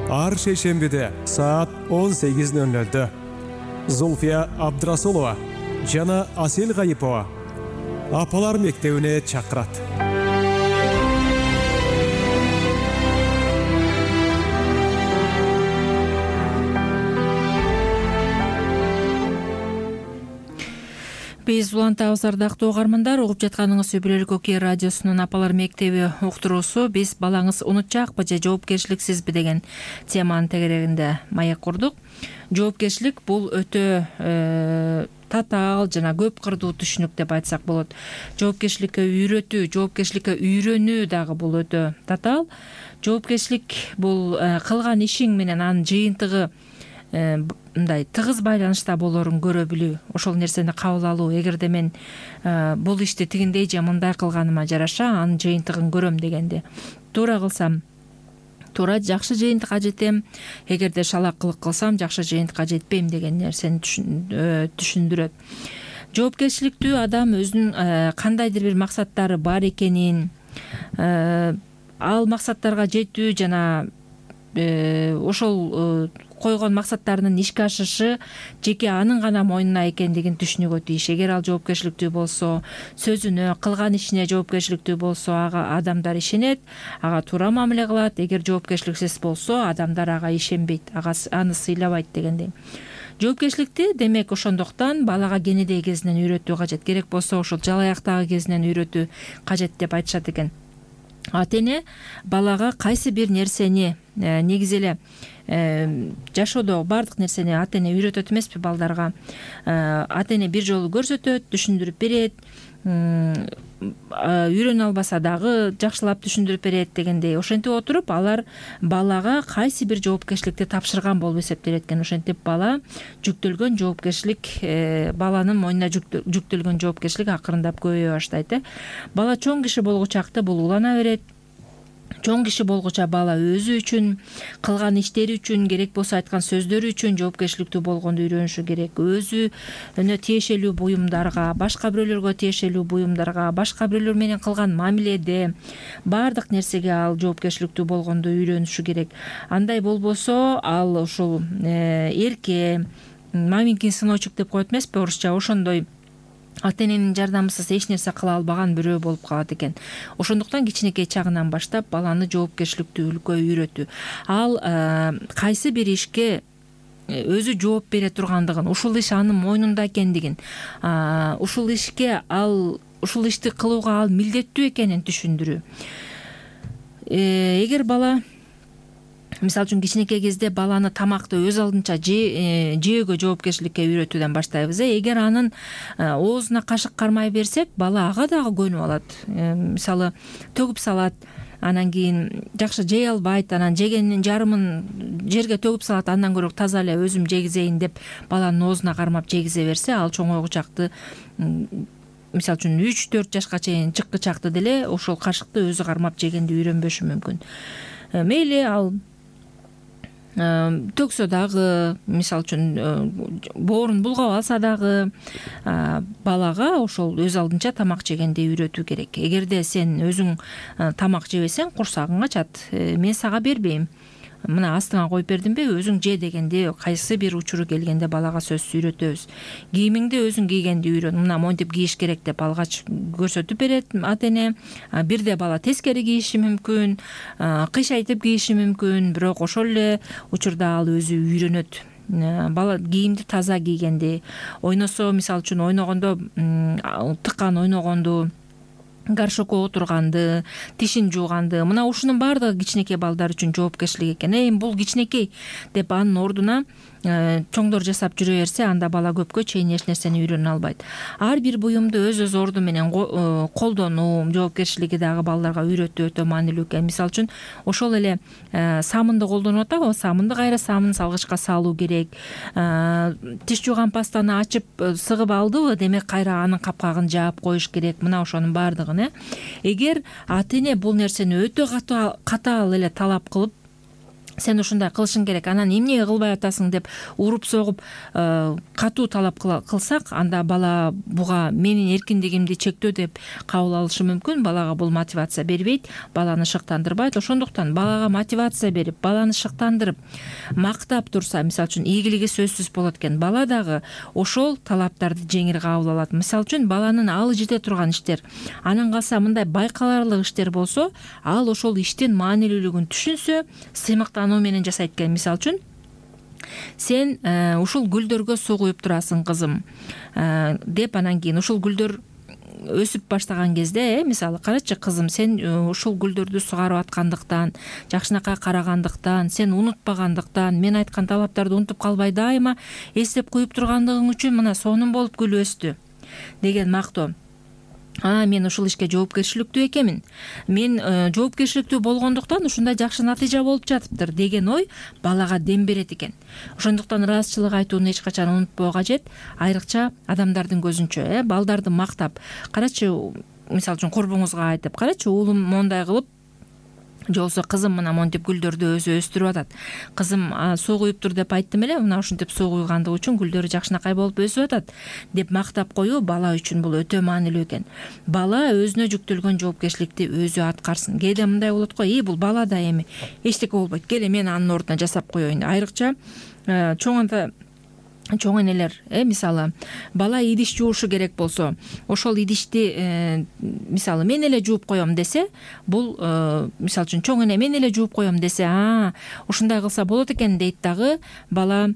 ар шейшембиде саат 18:00 Зулфия Абдрасулова жана Асел Гайипова апалар мектебине чакырат. Биз улантабыз ардактуу угармандар, угуп жатканыңыз Үй Бүлөлүк Окей радиосунун апалар мектеби уктуруусу. Биз балаңыз унутчакпы же жоопкерчиликсизби деген теманын тегерегинде маек курдук. Жоопкерчилик бул өтө татаал жана көп кырдуу түшүнүк деп айтсак болот. Жоопкерчиликке үйрөтүү, жоопкерчиликке үйрөнүү дагы бул өтө татаал. Жоопкерчилик бул кылган ишиң менен анын жыйынтыгы мындай тыгыз байланышта болоорун көрө билүү, ошол нерсени кабыл алуу. Эгерде мен бул ишти тигиндей же мындай кылганыма жараша анын жыйынтыгын көрөм дегенде, туура кылсам туура жакшы жыйынтыкка жетем, эгерде шалак кылык кылсам жакшы жыйынтыкка жетпейм деген нерсени түшүндүрөт. Жоопкерчиликтүү адам өзүнүн кандайдыр бир максаттары бар экенин, ал максаттарга жетүү жана ошол койгон максаттарынын ишке ашышы жеке анын гана мойнуна экендигин түшүнүүгө тийиш. Эгер ал жоопкерчиликтүү болсо, сөзүнө, кылган ишине жоопкерчиликтүү болсо, ага адамдар ишенет, ага туура мамиле кылат. Эгер жоопкерчиликсиз болсо, адамдар ага ишенбейт, аны сыйлабайт дегендей. Жоопкерчиликти демек ошондуктан балага кенедей кезинен үйрөтүү кажет. Керек болсо ошол жалаяктагы кезинен үйрөтүү кажет деп айтышат экен. Ата-эне балага кайсы бир нерсени негизи эле жашоодо баардык нерсени ата-эне үйрөтөт эмеспи балдарга. Ата-эне бир жолу көрсөтөт, түшүндүрүп берет, үйрөнө албаса дагы жакшылап түшүндүрүп берет дегендей. Ошентип отуруп алар балага кайсы бир жоопкерчиликти тапшырган болуп эсептелет экен. Ошентип бала жүктөлгөн жоопкерчилик, баланын мойнуна жүктөлгөн жоопкерчилик акырындап көбөйө баштайт. Бала чоң киши болгучакты бул улана берет. Чоң киши болгуча бала өзү үчүн, кылган иштери үчүн, керек болсо айткан сөздөрү үчүн жоопкерчиликтүү болгонду үйрөнүшү керек. Өзүнө тиешелүү буюмдарга, башка бирөөлөргө тиешелүү буюмдарга, башка бирөөлөр менен кылган мамиледе баардык нерсеге ал жоопкерчиликтүү болгонду үйрөнүшү керек. Андай болбосо ал ушул эрке, маменькин сыночек деп коет эмеспи орусча, ошондой ата-эненин жардамысыз эч нерсе кыла албаган бирөө болуп калат экен. Ошондуктан кичинекей чагынан баштап баланы жоопкерчиликтүүлүккө үйрөтүү. Ал кайсы бир ишке өзү жооп бере тургандыгын, ушул иш анын мойнунда экендигин, ушул ишти кылууга ал милдеттүү экенин түшүндүрүү. Эгер бала мисалы үчүн кичинекей кезде баланы тамакты өз алдынча жөөгө жоопкерчиликке үйрөтүүдөн баштайбыз. Эгер анын оозуна кашык кармай берсек, бала ага дагы көнүп алат. Мисалы төгүп салат, анан кийин жакшы жей албайт, анан жегенинин жарымын жерге төгүп салат, андан көрө таза эле өзүм жегизейин деп баланын оозуна кармап жегизе берсе, ал чоңойгучакты мисалы үчүн 3-4 жашка чейин чыккычакты деле ошол кашыкты өзү кармап жегенди үйрөнбөшү мүмкүн. Мейли ал төксө дагы, мисалы үчүн боорун булгап алса дагы балага ошол өз алдынча тамак жегенди үйрөтүү керек. Эгерде сен өзүң тамак жебесең, курсагың ачат, мен сага бербейм, мына астыңа коюп бердимби, өзүң же дегенде кайсы бир учуру келгенде балага сөзсүз үйрөтөбүз. Кийимиңди өзүң кийгенди үйрөн, мына монтип кийиш керек деп алгач көрсөтүп берет ата-эне. Бирде бала тескери кийиши мүмкүн, кыйшайтып кийиши мүмкүн, бирок ошол эле учурда ал өзү үйрөнөт. Бала кийимди таза кийгенди, ойносо, мисалы үчүн ойногондо тыккан ойногонду, гаршокко отурганды, тишин жууганды, мына ушунун баардыгы кичинекей балдар үчүн жоопкерчилик экен. Бул кичинекей деп анын ордуна чоңдор жасап жүрө берсе, анда бала көпкө чейин эч нерсени үйрөнө албайт. Ар бир буюмду өз орду менен колдонуу жоопкерчилиги дагы балдарга үйрөтүү өтө маанилүү экен. Мисалы үчүн ошол эле самынды колдонуп атабы, самынды кайра самын салгычка салуу керек. Тиш жууган пастаны ачып сыгып алдыбы, демек кайра анын капкагын жаап коюш керек. Мына ошонун баардыгын. Эгер ата-эне бул нерсени өтө катаал эле талап кылып, сен ушундай кылышың керек, анан эмне кылбай атасың деп уруп согуп катуу талап кылсак, анда бала буга менин эркиндигимди чектөө деп кабыл алышы мүмкүн. Балага бул мотивация бербейт, баланы шыктандырбайт. Ошондуктан балага мотивация берип, баланы шыктандырып, мактап турса, мисалы үчүн ийгилиги сөзсүз болот экен. Бала дагы ошол талаптарды жеңил кабыл алат. Мисалы үчүн баланын алы жете турган иштер, анан калса мындай байкаларлык иштер болсо, ал ошол иштин маанилүүлүгүн түшүнсө, сыймыктануу менен жасайт экен. Мисалы үчүн сен ушул гүлдөргө суу куюп турасың, кызым, деп анан кийин ушул гүлдөр өсүп баштаган кезде, мисалы, карачы кызым, сен ушул гүлдөрдү сугарып аткандыктан, жакшынакай карагандыктан, сен унутпагандыктан, мен айткан талаптарды унутуп калбай дайыма эстеп куюп тургандыгың үчүн мына сонун болуп гүл өстү деген мактоо. Мен ушул ишке жоопкерчиликтүү экенмин. Мен жоопкерчиликтүү болгондуктан ушундай жакшы натыйжа болуп жатыптыр деген ой балага дем берет экен. Ошондуктан ыраазычылык айтууну эч качан унутпоо кажет. Айрыкча адамдардын көзүнчө, балдарды мактап, карачы, мисалы үчүн курбуңузга айтып, карачы уулум мондай кылып, же болбосо кызым мына монтип гүлдөрдү өзү өстүрүп атат. Кызым суу куюп тур деп айттым эле, мына ушинтип суу куйгандыгы үчүн гүлдөрү жакшынакай болуп өсүп атат деп мактап коюу бала үчүн бул өтө маанилүү экен. Бала өзүнө жүктөлгөн жоопкерчиликти өзү аткарсын. Кээде мындай болот го, бул бала да эми эчтеке болбойт, келе мен анын ордуна жасап коеюн. Айрыкча чоң энелер, мисалы, бала идиш жуушу керек болсо, ошол идишти мисалы мен эле жууп коем десе, бул мисалы үчүн чоң эне мен эле жууп коем десе, ушундай кылса болот экен дейт дагы, бала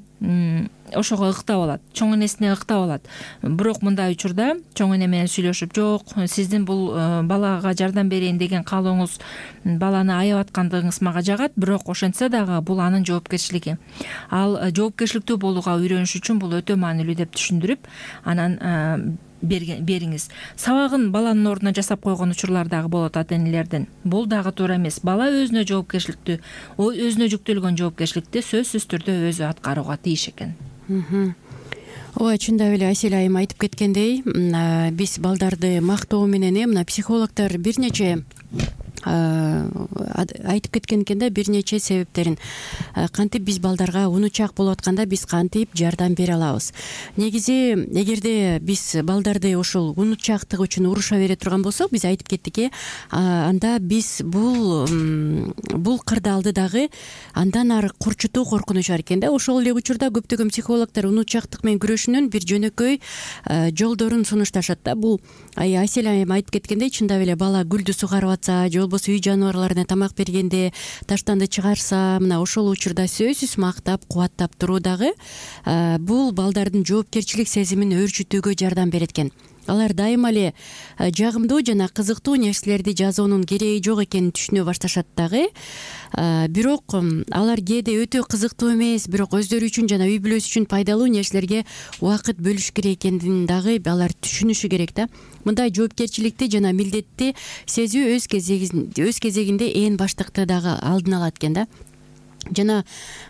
ошого ыктап алат, чоң энесине ыктап алат. Бирок мындай учурда чоң эне менен сүйлөшүп, жок, сиздин бул балага жардам берейин деген каалооңуз, баланы аябап аткандыгыңыз мага жагат, бирок ошентсе дагы бул анын жоопкерчилиги. Ал жоопкерчиликтүү болууга үйрөнүш үчүн бул өтө маанилүү деп түшүндүрүп, анан бериңиз. Сабагын баланын ордуна жасап койгон учурлар дагы болот ата-энелердин. Бул дагы туура эмес. Бала өзүнө жоопкерчиликтүү, өзүнө жүктөлгөн жоопкерчиликти сөзсүз түрдө өзү аткарууга тийиш экен. Ооба, чындап эле Асель айым айтып кеткендей, биз балдарды мактоо менен мына психологдор бир нече айтып кеткен экен да, бир нече себептерин. Кантип биз балдарга унучак болуп атканда биз кантип жардам бере алабыз? Негизи, эгерде биз балдарды ошол унучактык үчүн уруша бере турган болсок, биз айтып кеттик, анда биз бул кырдаалды дагы андан ары курчутуу коркунуч бар экен да. Ошол эле учурда көптөгөн психологдор унучактык менен күрөшүүнүн бир жөнөкөй жолдорун сунушташат да. Бул Асель айым айтып кеткендей, чындап эле бала гүлдү сугарып атса, же болбосо үй жаныбарларына тамак бергенде таштанды чыгарса, мына ошол учурда сөзсүз мактап, кубаттап туруу дагы бул балдардын жоопкерчилик сезимин өөрчүтүүгө жардам берет экен. Алар дайыма эле жагымдуу жана кызыктуу нерселерди жазуунун кереги жок экенин түшүнө башташат дагы. Бирок алар кээде өтө кызыктуу эмес, бирок өздөрү үчүн жана үй бүлөсү үчүн пайдалуу нерселерге убакыт бөлүш керек экендигин дагы алар түшүнүшү керек да. Мындай жоопкерчиликти жана милдетти сезүү өз кезегинде ээн баштыкты дагы алдын алат экен да. Жана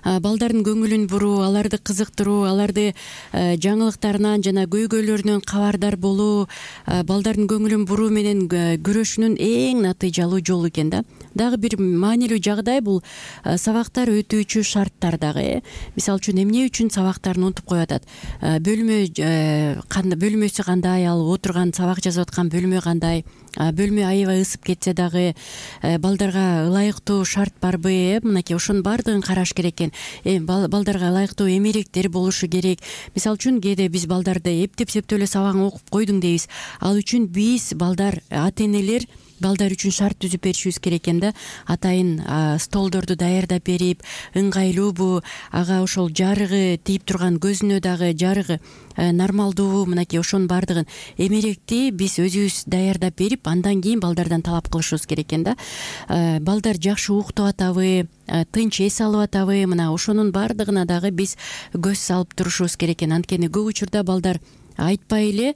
балдардын көңүлүн буруу, аларды кызыктыруу, аларды жаңылыктарынан жана көйгөйлөрүнөн кабардар болуу балдардын көңүлүн буруу менен күрөшүүнүн эң натыйжалуу жолу экен да. Дагы бир маанилүү жагдай бул сабактар өтүүчү шарттар дагы. Мисалы үчүн эмне үчүн сабактарын унутуп коюп атат? Бөлмөсү кандай, ал отурган сабак жазып аткан бөлмө кандай? Бөлмө аябай ысып кетсе дагы балдарга ылайыктуу шарт барбы? Мынакей ошонун баардыгын караш керек экен. Балдарга ылайыктуу эмеректер болушу керек. Мисалы үчүн кээде биз балдарды эптеп-септеп эле сабагын окуп койдуң дейбиз. Ал үчүн биз ата-энелер балдар үчүн шарт түзүп беришибиз керек экен да. Атайын столдорду даярдап берип, ыңгайлуубу, ага ошол жарыгы тийип турган көзүнө дагы жарыгы нормалдуубу, мынакей ошонун баардыгын эмеректи биз өзүбүз даярдап берип, андан кийин балдардан талап кылышыбыз керек экен да. Балдар жакшы уктап атабы, тынч эс алып атабы, мына ошонун баардыгына дагы биз көз салып турушубуз керек экен. Анткени көп учурда балдар айтпай эле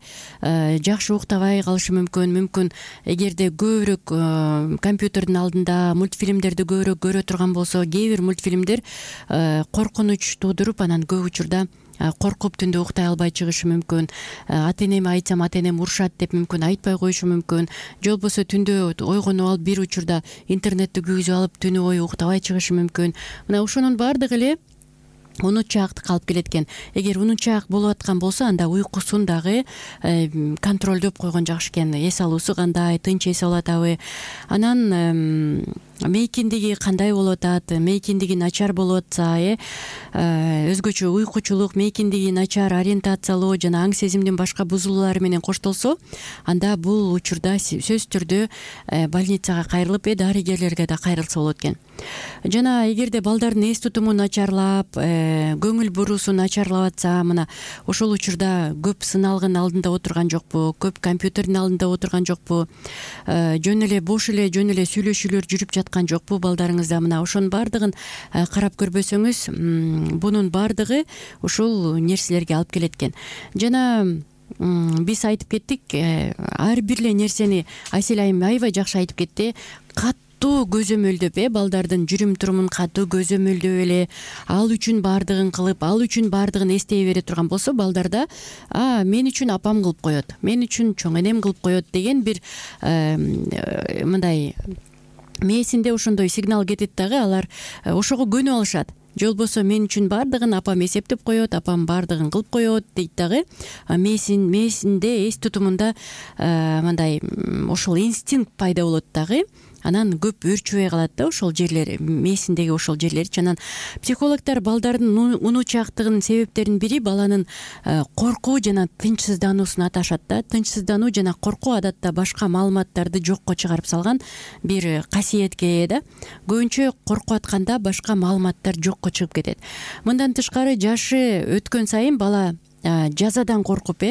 жакшы уктабай калышы мүмкүн. Эгерде көбүрөөк компьютердин алдында мультфильмдерди көбүрөөк көрө турган болсо, кээ бир мультфильмдер коркунуч туудуруп, анан көп учурда коркуп түндө уктай албай чыгышы мүмкүн, ата энеме айтсам ата энем урушат деп мүмкүн айтпай коюшу мүмкүн, же болбосо түндө ойгонуп алып бир учурда интернетти күйгүзүп алып түнү бою уктабай чыгышы мүмкүн. Мына ошонун баардыгы эле унутчаактыкка алып келет экен. Эгер унутчаак болуп аткан болсо, анда уйкусун дагы контролдоп койгон жакшы экен. Эс алуусу кандай, тынч эс алып атабы, анан мейкиндиги кандай болуп атат, мейкиндиги начар болуп атса, өзгөчө уйкучулук, мейкиндиги начар, ориентациялоо жана аң сезимдин башка бузулуулары менен коштолсо, анда бул учурда сөзсүз түрдө больницага кайрылып, дарыгерлерге да кайрылса болот экен. Жана эгерде балдардын эс тутуму начарлап, көңүл буруусу начарлап атса, мына ошол учурда көп сыналгын алдында отурган жокпу, көп компьютердин алдында отурган жокпу, жөн эле бош эле сүйлөшүүлөр жүрүп жаткан жокпу балдарыңызда. Мына ошонун баардыгын карап көрбөсөңүз, бунун баардыгы ушул нерселерге алып келет экен. Жана биз айтып кеттик, ар бир эле нерсени Айсел айым аябай жакшы айтып кетти. Катуу көзөмөлдөп, балдардын жүрүм турумун катуу көзөмөлдөп эле, ал үчүн баардыгын кылып, ал үчүн баардыгын эстей бере турган болсо, балдарда мен үчүн апам кылып коет, мен үчүн чоң энем кылып коет деген бир мындай мээсинде ошондой сигнал кетет дагы, алар ошого көнүп алышат. Же болбосо мен үчүн баардыгын апам эсептеп коет, апам баардыгын кылып коет дейт дагы. Мээсинде эс тутумунда мындай ошол инстинкт пайда болот дагы. Анан көп өөрчүбөй калат да ошол жерлер, мээсиндеги ошол жерлерчи. Анан психологдор балдардын унутчаактыгынын себептеринин бири баланын коркуу жана тынчсыздануусун аташат да. Тынчсыздануу жана коркуу адатта башка маалыматтарды жокко чыгарып салган бир касиетке ээ да. Көбүнчө коркуп атканда башка маалыматтар жокко чыгып кетет. Мындан тышкары жашы өткөн сайын бала жазадан коркуп,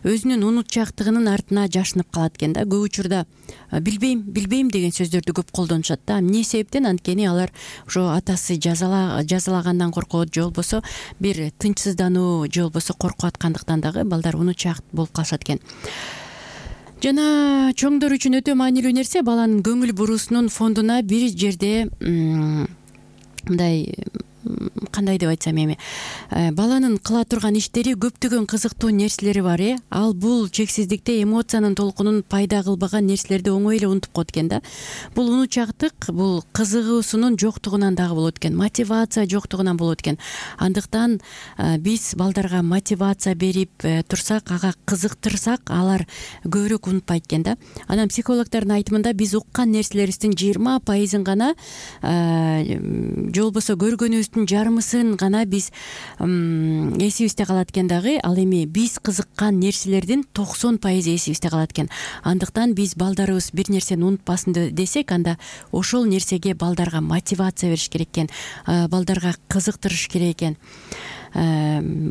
өзүнүн унутчаактыгынын артына жашынып калат экен да. Көп учурда билбейм деген сөздөрдү көп колдонушат да. Эмне себептен? Анткени алар ошо атасы жазалагандан коркот, же болбосо бир тынчсыздануу, же болбосо коркуп аткандыктан дагы балдар унутчаак болуп калышат экен. Жана чоңдор үчүн өтө маанилүү нерсе, баланын көңүл буруусунун фондуна бир жерде мындай, кандай деп айтсам эми, баланын кыла турган иштери көптөгөн кызыктуу нерселери бар. Ал бул чексиздикте эмоциянын толкунун пайда кылбаган нерселерди оңой эле унутуп коет экен да. Бул унутчаактык, бул кызыгуусунун жоктугунан дагы болот экен, мотивация жоктугунан болот экен. Андыктан биз балдарга мотивация берип турсак, ага кызыктырсак, алар көбүрөөк унутпайт экен да. Анан психологдордун айтымында биз уккан нерселерибиздин 20% гана, же болбосо көргөнүбүздүн жарымысын гана биз эсибизде калат экен дагы. Ал эми биз кызыккан нерселердин 90% эсибизде калат экен. Андыктан биз балдарыбыз бир нерсени унутпасын десек, анда ошол нерсеге балдарга мотивация бериш керек экен, балдарга кызыктырыш керек экен.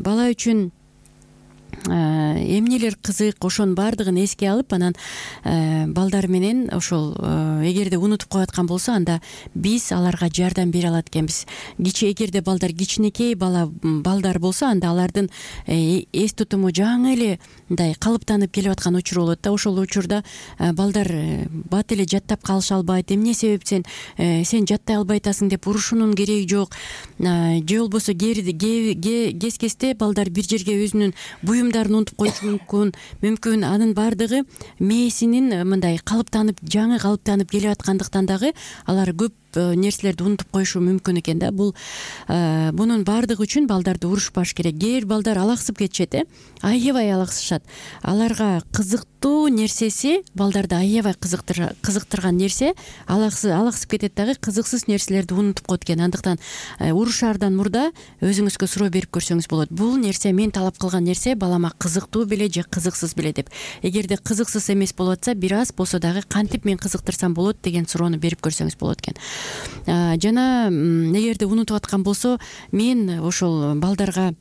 Бала үчүн эмнелер кызык, ошонун баардыгын эске алып, анан балдар менен ошол эгерде унутуп коюп болсо, анда биз аларга жардам бере алат экенбиз. Эгерде балдар кичинекей балдар болсо, анда алардын эс тутуму жаңы эле мындай калыптанып келип аткан учур болот да. Ошол учурда балдар бат эле жаттап калыша албайт. Эмне себептен сен жаттай албай атасың деп урушуунун кереги жок. Же болбосо кез-кезде балдар бир жерге өзүнүн буюмдарын унутуп коюшу мүмкүн. Анын баардыгы мээсинин мындай жаңы калыптанып келип аткандыктан дагы алар көп нерселерди унутуп коюшу мүмкүн экен да. Бунун баардыгы үчүн балдарды урушпаш керек. Кээ бир балдар алаксып кетишет, аябай алаксышат. Аларга кызыктуу нерсеси, балдарды аябай кызыктырган нерсе алаксып кетет дагы, кызыксыз нерселерди унутуп коет экен. Андыктан урушаардан мурда өзүңүзгө суроо берип көрсөңүз болот. Бул нерсе, мен талап кылган нерсе балама кызыктуу беле же кызыксыз беле деп. Эгерде кызыксыз эмес болуп атса, бир аз болсо дагы кантип мен кызыктырсам болот деген суроону берип көрсөңүз болот экен. Жана эгерде унутуп аткан болсо, мен ошол балдарга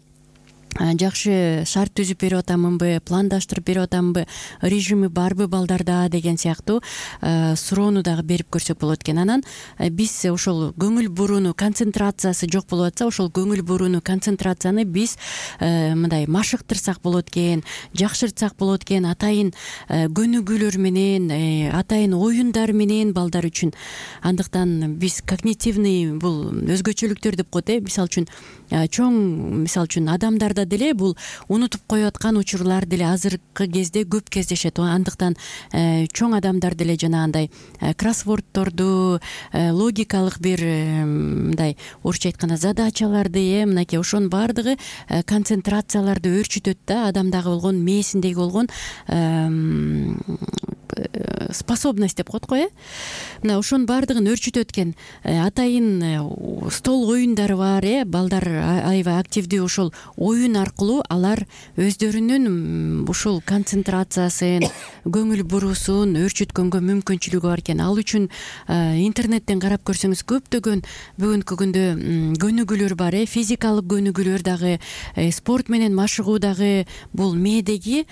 жакшы шарт түзүп берип атамынбы, пландаштырып берип атамынбы, режими барбы балдарда деген сыяктуу суроону дагы берип көрсөк болот экен. Анан биз ошол көңүл бурууну, концентрациясы жок болуп атса, ошол көңүл бурууну, концентрацияны биз мындай машыктырсак болот экен, жакшыртсак болот экен, атайын көнүгүүлөр менен, атайын оюндар менен балдар үчүн. Андыктан биз когнитивный, бул өзгөчөлүктөр деп коет. Мисалы үчүн чоң мисалы үчүн адамдарда деле бул унутуп коюп аткан учурлар деле азыркы кезде көп кездешет. Андыктан чоң адамдар деле жанагындай кроссвордторду, логикалык бир мындай орусча айтканда задачаларды, мынакей ошонун баардыгы концентрацияларды өөрчүтөт да, адамдагы болгон, мээсиндеги болгон способность деп коет го. Мына ошонун баардыгын өөрчүтөт экен. Атайын стол оюндары бар, балдар аябай активдүү. Ошол оюн аркылуу алар өздөрүнүн ушул концентрациясын, көңүл буруусун өөрчүткөнгө мүмкүнчүлүгү бар экен. Ал үчүн интернеттен карап көрсөңүз көптөгөн бүгүнкү күндө көнүгүүлөр бар. Физикалык көнүгүүлөр дагы, спорт менен машыгуу дагы бул мээдеги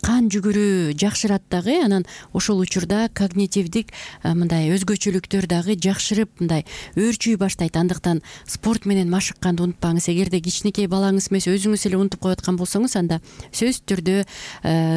кан жүгүрүү жакшырат дагы. Анан ошол учурда когнитивдик мындай өзгөчөлүктөр дагы жакшырып мындай өөрчүй баштайт. Андыктан спорт менен машыкканды унутпаңыз. Эгерде кичинекей балаңыз эмес өзүңүз эле унутуп коюп аткан болсоңуз, анда сөзсүз түрдө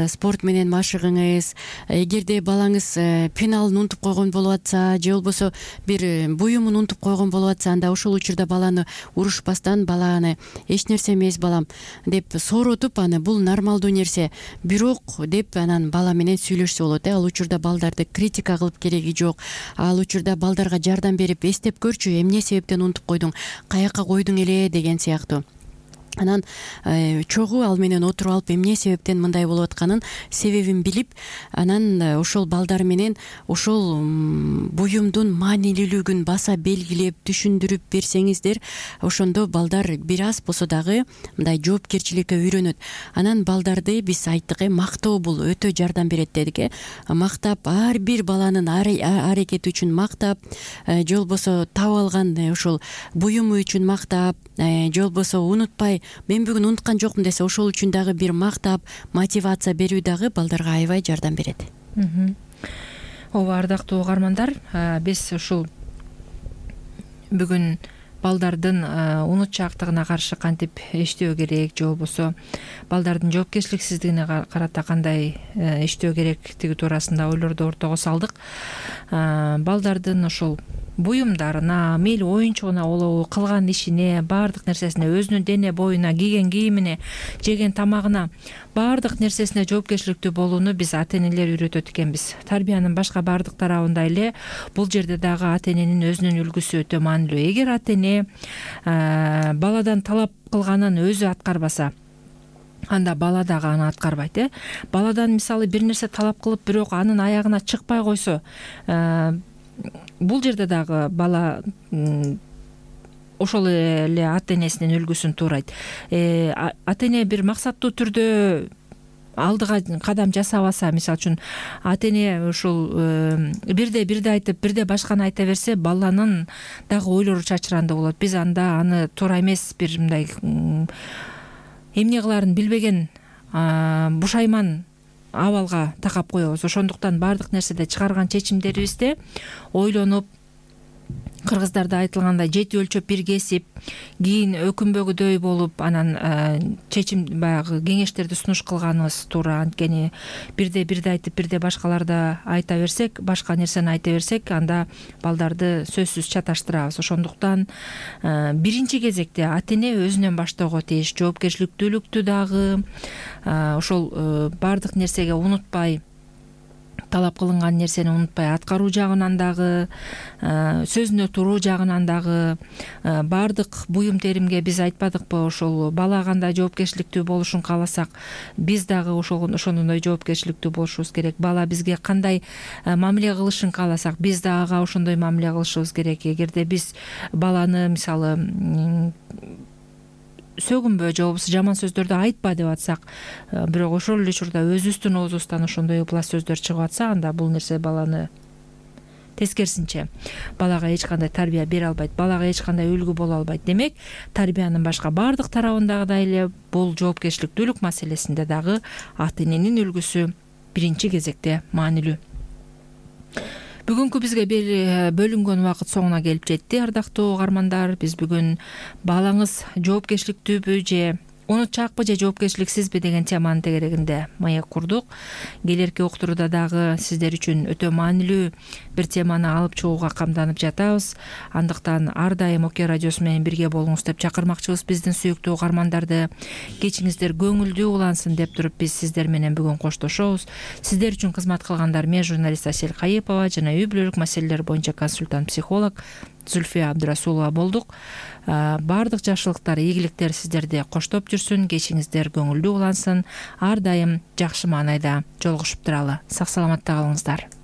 спорт менен машыгыңыз. Эгерде балаңыз пеналын унутуп койгон болуп атса, же болбосо бир буюмун унутуп койгон болуп атса, анда ошол учурда баланы урушпастан, баланы эч нерсе эмес балам деп сооротуп, аны бул нормалдуу нерсе бирок деп анан бала менен сүйлөшсө болот. Ал учурда балдарды критика кылып кереги жок. Ал учурда балдарга жардам берип эстеп көрчү, эмне себептен унутуп койдуң, каяка койдуң эле деген сыяктуу. Анан чогуу ал менен отуруп алып эмне себептен мындай болуп атканын себебин билип, анан ошол балдар менен ошол буюмдун маанилүүлүгүн баса белгилеп, түшүндүрүп берсеңиздер, ошондо балдар бир аз болсо дагы мындай жоопкерчиликке үйрөнөт. Анан балдарды биз айттык, мактоо бул өтө жардам берет дедик. Мактап, ар бир баланын аракети үчүн мактап, же болбосо таап алган ошол буюму үчүн мактап, же болбосо унутпай мен бүгүн унуткан жокмун десе, ошол үчүн дагы бир мактап, мотивация берүү дагы балдарга аябай жардам берет. Ооба, ардактуу угармандар, биз ушул бүгүн балдардын унутчаактыгына каршы кантип иштөө керек, же болбосо балдардын жоопкерчиликсиздигине карата кандай иштөө керектиги туурасында ойлорду ортого салдык. Балдардын ошол буюмдарына, мейли оюнчугуна болобу, кылган ишине, баардык нерсесине, өзүнүн дене боюна, кийген кийимине, жеген тамагына, баардык нерсесине жоопкерчиликтүү болууну биз ата-энелер үйрөтөт экенбиз. Тарбиянын башка баардык тарабында эле бул жерде дагы ата-эненин өзүнүн үлгүсү өтө маанилүү. Эгер ата-эне баладан талап кылганын өзү аткарбаса, анда бала дагы аны аткарбайт. Баладан мисалы бир нерсе талап кылып, бирок анын аягына чыкпай койсо, бул жерде дагы бала ошол эле ата-энесинин үлгүсүн туурайт. Ата-эне бир максаттуу түрдө алдыга кадам жасабаса, мисалы үчүн ата-эне ушул бирде айтып, бирде башканы айта берсе, баланын дагы ойлору чачырандуу болот. Биз анда аны туура эмес бир мындай эмне кылаарын билбеген бушайман абалга такап коебуз. Ошондуктан баардык нерседе чыгарган чечимдерибизде ойлонуп, кыргыздарда айтылгандай жети өлчөп бир кесип, кийин өкүнбөгүдөй болуп, анан чечим баягы кеңештерди сунуш кылганыбыз туура. Анткени бирде айтып, бирде башкаларда айта берсек, башка нерсени айта берсек, анда балдарды сөзсүз чаташтырабыз. Ошондуктан биринчи кезекте ата-эне өзүнөн баштоого тийиш. Жоопкерчиликтүүлүктү дагы ошол баардык нерсеге унутпай, талап кылынган нерсени унутпай аткаруу жагынан дагы, сөзүнө туруу жагынан дагы, баардык буюм теримге биз айтпадыкпы, ошол бала кандай жоопкерчиликтүү болушун кааласак, биз дагы ошондой жоопкерчиликтүү болушубуз керек. Бала бизге кандай мамиле кылышын кааласак, биз да ага ошондой мамиле кылышыбыз керек. Эгерде биз баланы мисалы сөгүнбө же болбосо жаман сөздөрдү айтпа деп атсак, бирок ошол эле учурда өзүбүздүн оозубуздан ошондой ыплас сөздөр чыгып атса, анда бул нерсе баланы тескерисинче балага эч кандай тарбия бере албайт, балага эч кандай үлгү боло албайт. Демек, тарбиянын башка баардык тарабындагыдай эле бул жоопкерчиликтүүлүк маселесинде дагы ата-эненин үлгүсү биринчи кезекте маанилүү. Бүгүнкү бизге бөлүнгөн убакыт соңуна келип жетти, ардактуу угармандар. Биз бүгүн балаңыз жоопкерчиликтүүбү же унутчаакпы же жоопкерчиликсизби деген теманын тегерегинде маек курдук. Келерки уктурууда дагы сиздер үчүн өтө маанилүү бир теманы алып чыгууга камданып жатабыз. Андыктан ар дайым Оке радиосу менен бирге болуңуз деп чакырмакчыбыз биздин сүйүктүү угармандарды. Кечиңиздер көңүлдүү улансын деп туруп биз сиздер менен бүгүн коштошобуз. Сиздер үчүн кызмат кылгандар мен журналист Асель Кайыпова жана үй бүлөлүк маселелер боюнча консультант психолог Зульфия Абдрасулова болдук. Баардык жакшылыктар, ийгиликтер сиздерди коштоп жүрсүн, кечиңиздер көңүлдүү улансын, ар дайым жакшы маанайда жолугушуп туралы. Сак саламатта калыңыздар.